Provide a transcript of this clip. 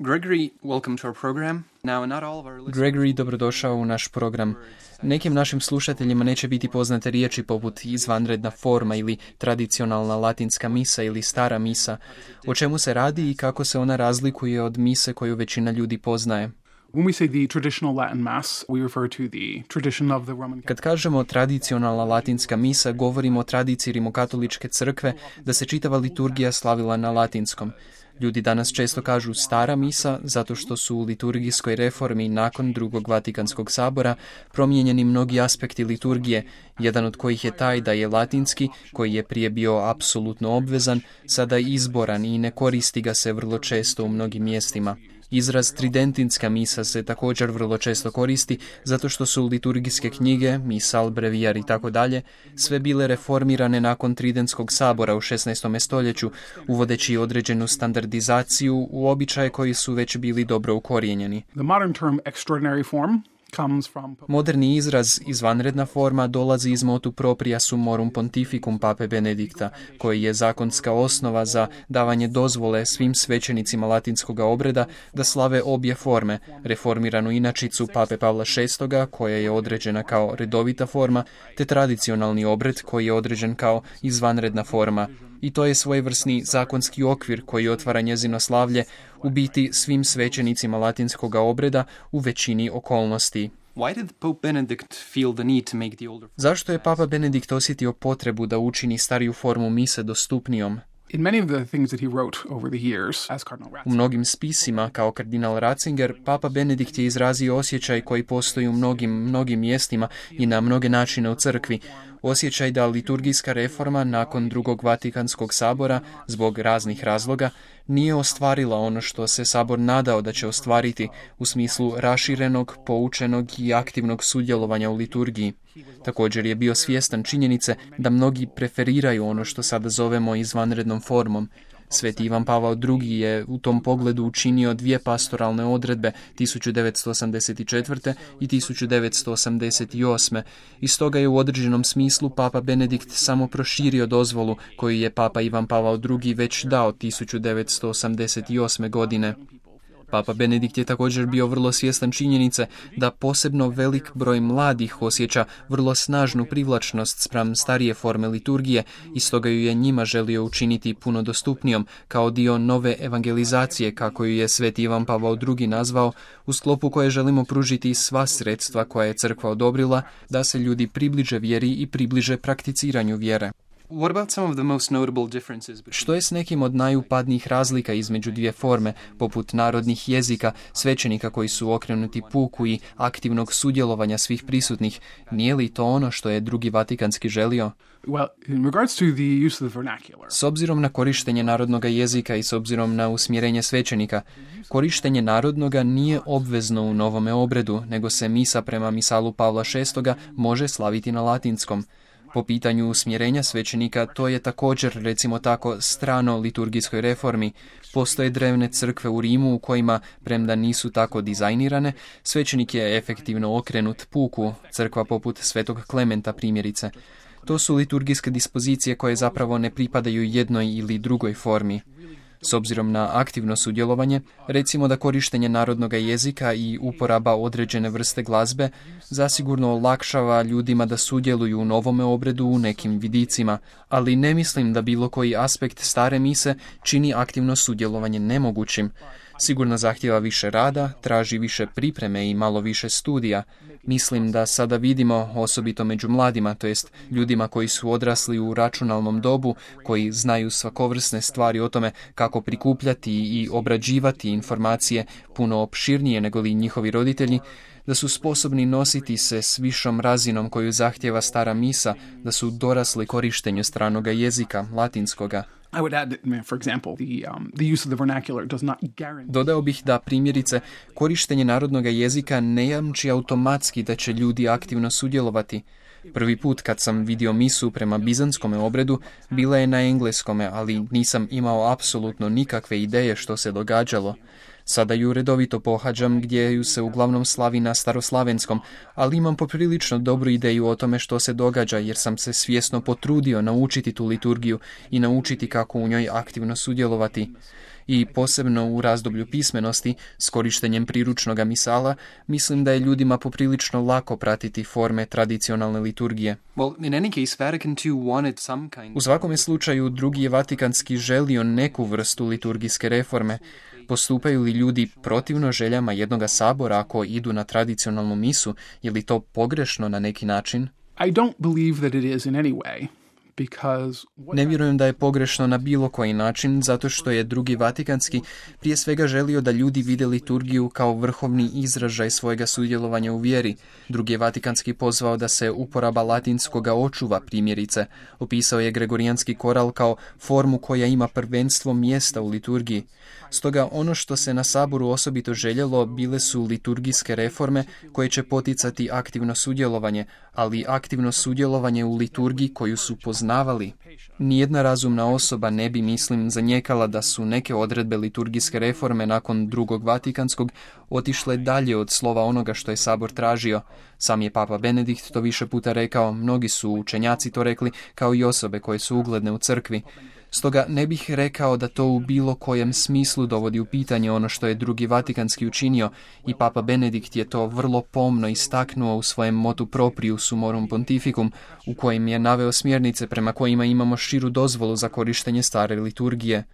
Gregory, welcome to our program. Now, not all of our listeners... Gregory, dobrodošao u naš program. Nekim našim slušateljima neće biti poznate riječi poput izvanredna forma ili tradicionalna latinska misa ili stara misa. O čemu se radi i kako se ona razlikuje od mise koju većina ljudi poznaje? Kad kažemo tradicionalna latinska misa, govorimo o tradiciji rimokatoličke crkve da se čitava liturgija slavila na latinskom. Ljudi danas često kažu stara misa zato što su u liturgijskoj reformi nakon Drugog Vatikanskog sabora promijenjeni mnogi aspekti liturgije, jedan od kojih je taj da je latinski, koji je prije bio apsolutno obvezan, sada izboran i ne koristi ga se vrlo često u mnogim mjestima. Izraz tridentinska misa se također vrlo često koristi zato što su liturgijske knjige, misal, brevijar i tako dalje, sve bile reformirane nakon Tridentskog sabora u 16. stoljeću, uvodeći određenu standardizaciju u običaje koji su već bili dobro ukorijenjeni. Moderni izraz izvanredna forma dolazi iz motu propria sumorum pontificum pape Benedikta, koji je zakonska osnova za davanje dozvole svim svećenicima latinskog obreda da slave obje forme, reformiranu inačicu pape Pavla VI, koja je određena kao redovita forma, te tradicionalni obred koji je određen kao izvanredna forma. I to je svojevrsni zakonski okvir koji otvara njezino slavlje u biti svim svećenicima latinskog obreda u većini okolnosti. Zašto je Papa Benedikt osjetio potrebu da učini stariju formu mise dostupnijom? U mnogim spisima, kao kardinal Ratzinger, Papa Benedikt je izrazio osjećaj koji postoji u mnogim mjestima i na mnoge načine u crkvi. Osjećaj da liturgijska reforma nakon Drugog Vatikanskog sabora, zbog raznih razloga, nije ostvarila ono što se sabor nadao da će ostvariti u smislu raširenog, poučenog i aktivnog sudjelovanja u liturgiji. Također je bio svjestan činjenice da mnogi preferiraju ono što sada zovemo izvanrednom formom. Sveti Ivan Pavao II. Je u tom pogledu učinio dvije pastoralne odredbe 1984. i 1988. I stoga je u određenom smislu Papa Benedikt samo proširio dozvolu koju je Papa Ivan Pavao II. Već dao 1988. godine. Papa Benedikt je također bio vrlo svjestan činjenice da posebno velik broj mladih osjeća vrlo snažnu privlačnost spram starije forme liturgije i stoga ju je njima želio učiniti puno dostupnijom kao dio nove evangelizacije, kako ju je Sveti Ivan Pavao II. Nazvao, u sklopu koje želimo pružiti sva sredstva koja je crkva odobrila da se ljudi približe vjeri i približe prakticiranju vjere. Što je s nekim od najupadnijih razlika između dvije forme, poput narodnih jezika, svećenika koji su okrenuti puku i aktivnog sudjelovanja svih prisutnih? Nije li to ono što je Drugi Vatikanski želio? S obzirom na korištenje narodnog jezika i s obzirom na usmjerenje svećenika, korištenje narodnoga nije obvezno u novome obredu, nego se misa prema misalu Pavla VI može slaviti na latinskom. Po pitanju usmjerenja svećenika, to je također, recimo tako, strano liturgijskoj reformi. Postoje drevne crkve u Rimu u kojima, premda nisu tako dizajnirane, svećenik je efektivno okrenut puku, crkva poput Svetog Klementa primjerice. To su liturgijske dispozicije koje zapravo ne pripadaju jednoj ili drugoj formi. S obzirom na aktivno sudjelovanje, recimo da korištenje narodnog jezika i uporaba određene vrste glazbe zasigurno olakšava ljudima da sudjeluju u novome obredu u nekim vidicima, ali ne mislim da bilo koji aspekt stare mise čini aktivno sudjelovanje nemogućim. Sigurno zahtijeva više rada, traži više pripreme i malo više studija. Mislim da sada vidimo, osobito među mladima, to jest ljudima koji su odrasli u računalnom dobu, koji znaju svakovrsne stvari o tome kako prikupljati i obrađivati informacije puno opširnije nego li njihovi roditelji, da su sposobni nositi se s višom razinom koju zahtjeva stara misa, da su dorasli korištenju stranoga jezika, latinskoga. Dodao bih da, primjerice, korištenje narodnog jezika ne jamči automatski da će ljudi aktivno sudjelovati. Prvi put kad sam vidio misu prema bizanskome obredu, bila je na engleskome, ali nisam imao apsolutno nikakve ideje što se događalo. Sada ju redovito pohađam gdje ju se uglavnom slavi na staroslavenskom, ali imam poprilično dobru ideju o tome što se događa jer sam se svjesno potrudio naučiti tu liturgiju i naučiti kako u njoj aktivno sudjelovati. I posebno u razdoblju pismenosti, s korištenjem priručnog misala, mislim da je ljudima poprilično lako pratiti forme tradicionalne liturgije. U svakome slučaju, Drugi je Vatikanski želio neku vrstu liturgijske reforme. Postupaju li ljudi protivno željama jednoga sabora ako idu na tradicionalnu misu? Je li to pogrešno na neki način? I don't believe that it is in any way. Ne vjerujem da je pogrešno na bilo koji način, zato što je Drugi Vatikanski prije svega želio da ljudi vide liturgiju kao vrhovni izražaj svojega sudjelovanja u vjeri. Drugi je Vatikanski pozvao da se uporaba latinskoga očuva, primjerice. Opisao je gregorijanski koral kao formu koja ima prvenstvo mjesta u liturgiji. Stoga ono što se na saboru osobito željelo bile su liturgijske reforme koje će poticati aktivno sudjelovanje, ali aktivno sudjelovanje u liturgiji koju su poznavali. Nijedna razumna osoba ne bi, mislim, zanijekala da su neke odredbe liturgijske reforme nakon Drugog Vatikanskog otišle dalje od slova onoga što je sabor tražio. Sam je Papa Benedikt to više puta rekao, mnogi su učenjaci to rekli, kao i osobe koje su ugledne u crkvi. Stoga ne bih rekao da to u bilo kojem smislu dovodi u pitanje ono što je Drugi Vatikanski učinio i Papa Benedikt je to vrlo pomno istaknuo u svojem motu propriu sumorum pontificum, u kojem je naveo smjernice prema kojima imamo širu dozvolu za korištenje stare liturgije.